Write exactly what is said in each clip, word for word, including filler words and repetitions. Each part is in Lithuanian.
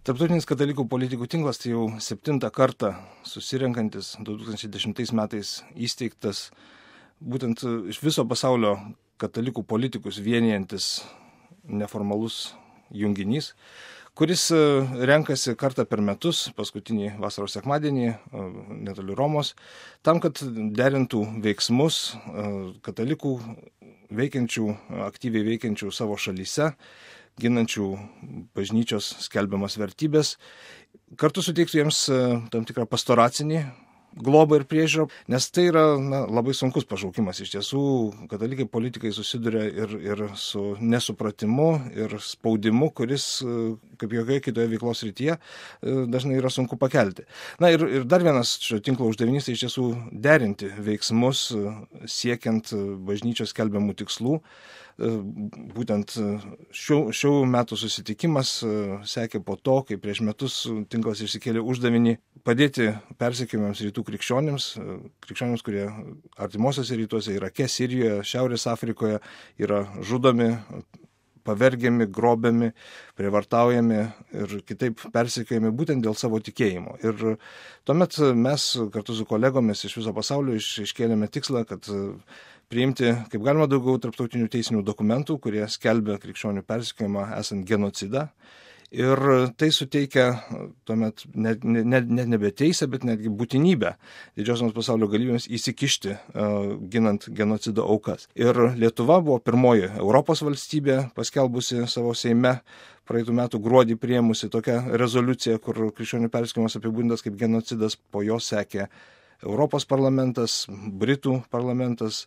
Tarptautinis katalikų politikų tinklas tai jau septintą kartą susirenkantis du tūkstančiai dešimtais metais įsteigtas būtent iš viso pasaulio katalikų politikus vienijantis neformalus junginys, kuris renkasi kartą per metus, paskutinį vasaros sekmadienį, netoli Romos, tam, kad derintų veiksmus katalikų veikiančių, aktyviai veikiančių savo šalyse, ginančių bažnyčios skelbiamas vertybės, kartu suteiktų jiems tam tikrą pastoracinį globą ir priežiūrą, nes tai yra na, labai sunkus pašaukimas. Iš tiesų, katalikai politikai susiduria ir, ir su nesupratimu, ir spaudimu, kuris, kaip jokioje kitoje veiklos rytyje, dažnai yra sunku pakelti. Na ir, ir dar vienas šio tinklo uždavinys tai iš tiesų derinti veiksmus siekiant bažnyčios skelbiamų tikslų. Būtent šių, šių metų susitikimas sekė po to, kai prieš metus tinklas išsikėlė uždavinį padėti persekiojamiems rytų krikščionims, krikščionims, kurie artimuosiuose rytuose, Irake, Sirijoje, Šiaurės Afrikoje yra žudomi, pavergiami, grobiami, prievartaujami ir kitaip persekiojami būtent dėl savo tikėjimo. Ir tuomet mes kartu su kolegomis iš viso pasaulio iš, iškėlėme tikslą, kad priimti kaip galima daugiau tarptautinių teisinių dokumentų, kurie skelbia krikščionių persekiojimą esant genocidą. Ir tai suteikia tuomet net ne, ne, ne, nebe teisę, bet netgi būtinybę didžiosioms pasaulio galybėms įsikišti, uh, ginant genocido aukas. Ir Lietuva buvo pirmoji Europos valstybė paskelbusi savo Seime praeitų metų gruodį priėmusi tokią rezoliuciją, kur krikščionių persekiojimas apibūdintas kaip genocidas, po jos sekė Europos parlamentas, Britų parlamentas,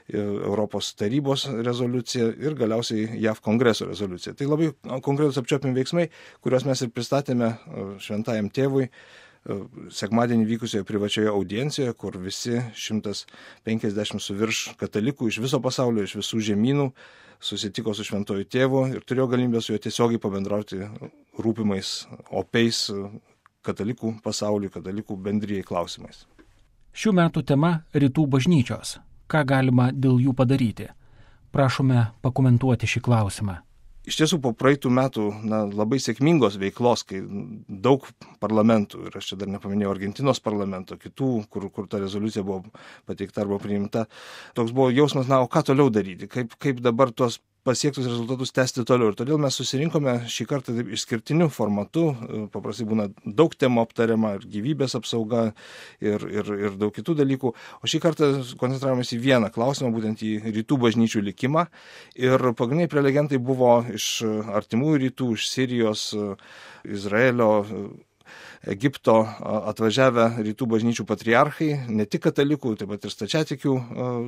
Europos tarybos rezoliucija ir galiausiai J A V kongreso rezoliucija. Tai labai konkretus apčiuopiami veiksmai, kuriuos mes ir pristatėme šventajam tėvui sekmadienį vykusioje privačioje audiencijoje, kur visi šimtas penkiasdešimt su virš katalikų iš viso pasaulio, iš visų žemynų susitiko su šventuoju tėvu ir turėjo galimybę su juo tiesiogiai pabendrauti rūpimais, opiais katalikų pasauliui, katalikų bendrijai klausimais. Šių metų tema – rytų bažnyčios. Ką galima dėl jų padaryti? Prašome pakomentuoti šį klausimą. Iš tiesų, po praeitų metų na, labai sėkmingos veiklos, kai daug parlamentų, ir aš čia dar nepaminėjau Argentinos parlamento, kitų, kur, kur ta rezoliucija buvo pateikta arba priimta, toks buvo jausmas, na, o ką toliau daryti, kaip, kaip dabar tuos pasiektus rezultatus tęsti toliau. Ir todėl mes susirinkome šį kartą taip išskirtiniu formatu, paprastai būna daug temų aptariama, ir gyvybės apsauga, ir, ir, ir daug kitų dalykų. O šį kartą koncentravomės į vieną klausimą, būtent į rytų bažnyčių likimą. Ir pagrindiniai prelegentai buvo iš artimųjų rytų, iš Sirijos, Izraelio, Egipto atvažiavę rytų bažnyčių patriarchai, ne tik katalikų, taip pat ir stačiatikių,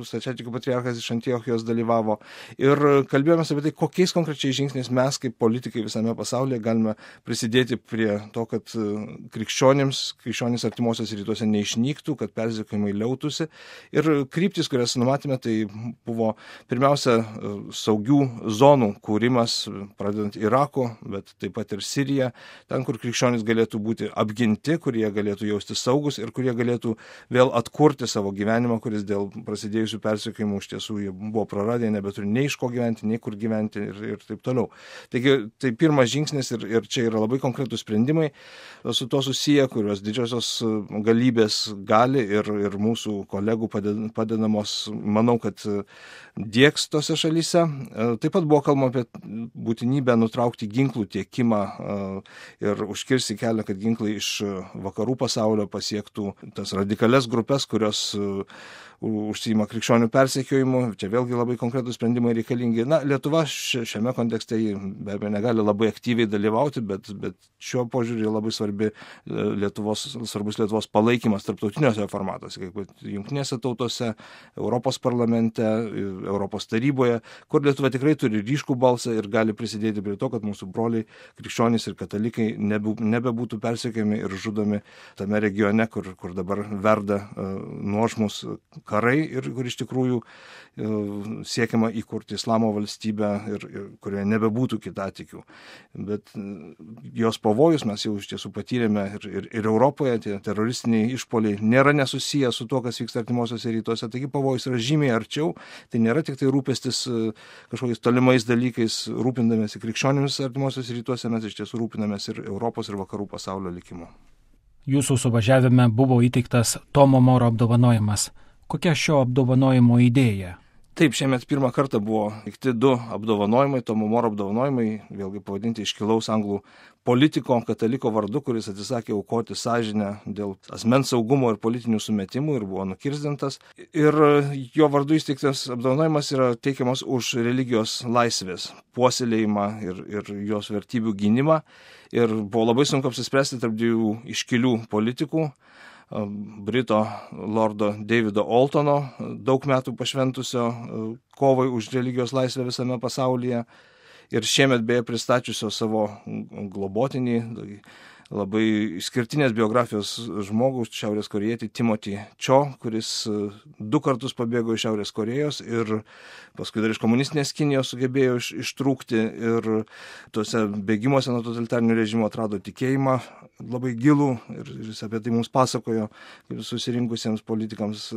stačiatikių patriarchas iš Antiochijos dalyvavo. Ir kalbėjome apie tai, kokiais konkrečiais žingsniais mes kaip politikai visame pasaulyje galime prisidėti prie to, kad krikščionims, krikščionys artimuosiuose rytuose neišnyktų, kad persekiojimai liautųsi. Ir kryptis, kurias numatėme, tai buvo pirmiausia saugių zonų kūrimas, pradedant Irako, bet taip pat ir Siriją, ten, kur krikščionys galėtų būti apginti, kurie galėtų jausti saugus ir kurie galėtų vėl atkurti savo gyvenimą, kuris dėl prasidėjusių persekiojimų iš tiesų jie buvo praradę, nebeturi nei iš ko gyventi, nei kur gyventi ir, ir taip toliau. Taigi tai pirmas žingsnis ir, ir čia yra labai konkretūs sprendimai su to susiję, kuriuos didžiosios galybės gali ir, ir mūsų kolegų padedamos, manau, kad dieks tose šalyse. Taip pat buvo kalbama apie būtinybę nutraukti ginklų tiekimą ir užkirsti kelią, kad ginklai iš vakarų pasaulio pasiektų tas radikalias grupės, kurios užsiima krikščionių persekiojimu. Čia vėlgi labai konkretūs sprendimai reikalingi. Na, Lietuva šiame kontekste be abejo negali labai aktyviai dalyvauti, bet, bet šiuo požiūrį labai svarbi Lietuvos, svarbus Lietuvos palaikymas tarptautiniuose formatuose, kaip Jungtinėse tautose, Europos parlamente, Europos taryboje, kur Lietuva tikrai turi ryškų balsą ir gali prisidėti prie to, kad mūsų broliai krikščionys ir katalikai nebebūtų persekiojami vogiami ir žudomi tame regione, kur, kur dabar verda nuožmus karai ir kur iš tikrųjų siekiama įkurti islamo valstybę ir, ir kurioje nebebūtų kitatikių. Bet jos pavojus mes jau iš tiesų patyrėme ir, ir, ir Europoje, tie teroristiniai išpoliai nėra nesusiję su to, kas vyksta artimuosiuose rytuose, taigi pavojus yra žymiai arčiau, tai nėra tik tai rūpestis kažkokiais tolimais dalykais, rūpindamėsi krikščionimis artimuosiuose rytuose, mes iš tiesų rūpinamės ir Europos ir vakarų pasaulio likimu. Jūsų suvažiavime buvo įteiktas Tomo Moro apdovanojimas. Kokia šio apdovanojimo idėja? Taip, šiemet pirmą kartą buvo įteikti du apdovanojimai, Tomo Moro apdovanojimai, vėlgi pavadinti iškilaus anglų politiko, kataliko vardu, kuris atsisakė aukoti sąžinę dėl asmens saugumo ir politinių sumetimų ir buvo nukirsdintas. Ir jo vardu įsteigtas apdovanojimas yra teikiamas už religijos laisvės puoselėjimą ir, ir jos vertybių gynimą. Ir buvo labai sunku apsispręsti tarp dviejų iškilių politikų. Brito lordo Davido Oltono, daug metų pašventusio kovai už religijos laisvę visame pasaulyje ir šiemet beje pristačiusio savo globotinį, labai išskirtinės biografijos žmogų, šiaurės korėjietį Timothy Cho, kuris du kartus pabėgo iš Šiaurės Korėjos ir paskui dar iš komunistinės Kinijos sugebėjo iš, ištrūkti ir tuose bėgimuose nuo totalitarinio režimo atrado tikėjimą labai gilų ir jis apie tai mums pasakojo kaip susirinkusiems politikams.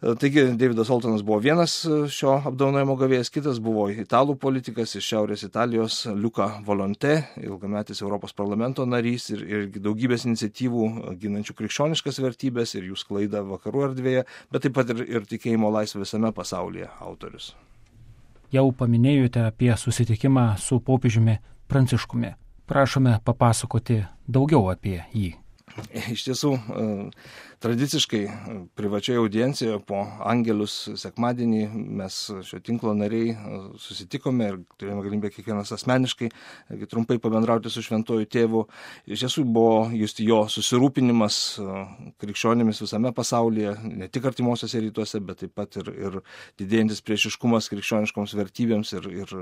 Taigi Davidas Oltonas buvo vienas šio apdovanojimo gavėjas, kitas buvo italų politikas iš Šiaurės Italijos Luca Volonté, ilgametis Europos parlamento narys ir, ir daugybės iniciatyvų ginančių krikščioniškas vertybės ir jų sklaidą vakarų erdvėje, bet taip pat ir, ir tikėjimo laisvę visame pasaulyje autorius. Jau paminėjote apie susitikimą su popiežiumi Pranciškumi. Prašome papasakoti daugiau apie jį. Iš tiesų, tradiciškai privačioje audiencijoje po Angelus sekmadienį mes šio tinklo nariai susitikome ir turėjome galimybę kiekvienas asmeniškai trumpai pabendrauti su šventuoju tėvu. Iš tiesų buvo justi jo susirūpinimas krikščionimis visame pasaulyje, ne tik artimuosiuose rytuose, bet taip pat ir, ir didėjantis priešiškumas krikščioniškoms vertybėms ir, ir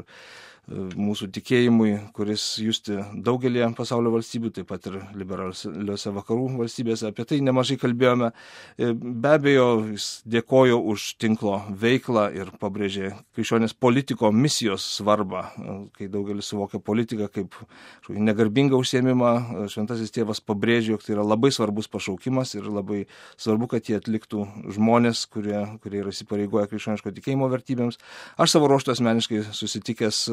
mūsų tikėjimui, kuris justi daugelį pasaulio valstybių, taip pat ir liberaliuose vakarų valstybėse. Apie tai nemažai kalbėjome. Be abejo, jis dėkojo už tinklo veiklą ir pabrėžė krikščionės politiko misijos svarbą, kai daugelis suvokia politiką kaip negarbingą užsiėmimą. Šventasis tėvas pabrėžė, jog tai yra labai svarbus pašaukimas ir labai svarbu, kad jie atliktų žmonės, kurie, kurie yra įsipareigoję krikščioniško tikėjimo vertybėms. Aš savo ruožtu asmeniškai susitikęs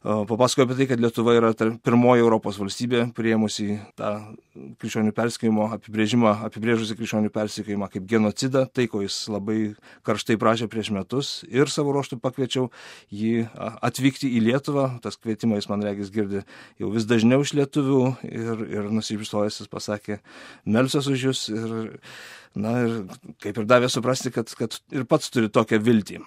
papasakoju apie tai, kad Lietuva yra pirmoji Europos valstybė priėmusi tą krikščionių persekiojimo apibrėžimą, apibrėžusi krikščionių persekiojimą kaip genocidą, tai ko jis labai karštai prašė prieš metus ir savo ruožtu pakviečiau jį atvykti į Lietuvą. Tas kvietimas jis man regis girdi jau vis dažniau iš lietuvių ir, ir nusišypsojęs jis pasakė, melsiuos už jūs ir, na, ir kaip ir davė suprasti, kad, kad ir pats turi tokią viltį.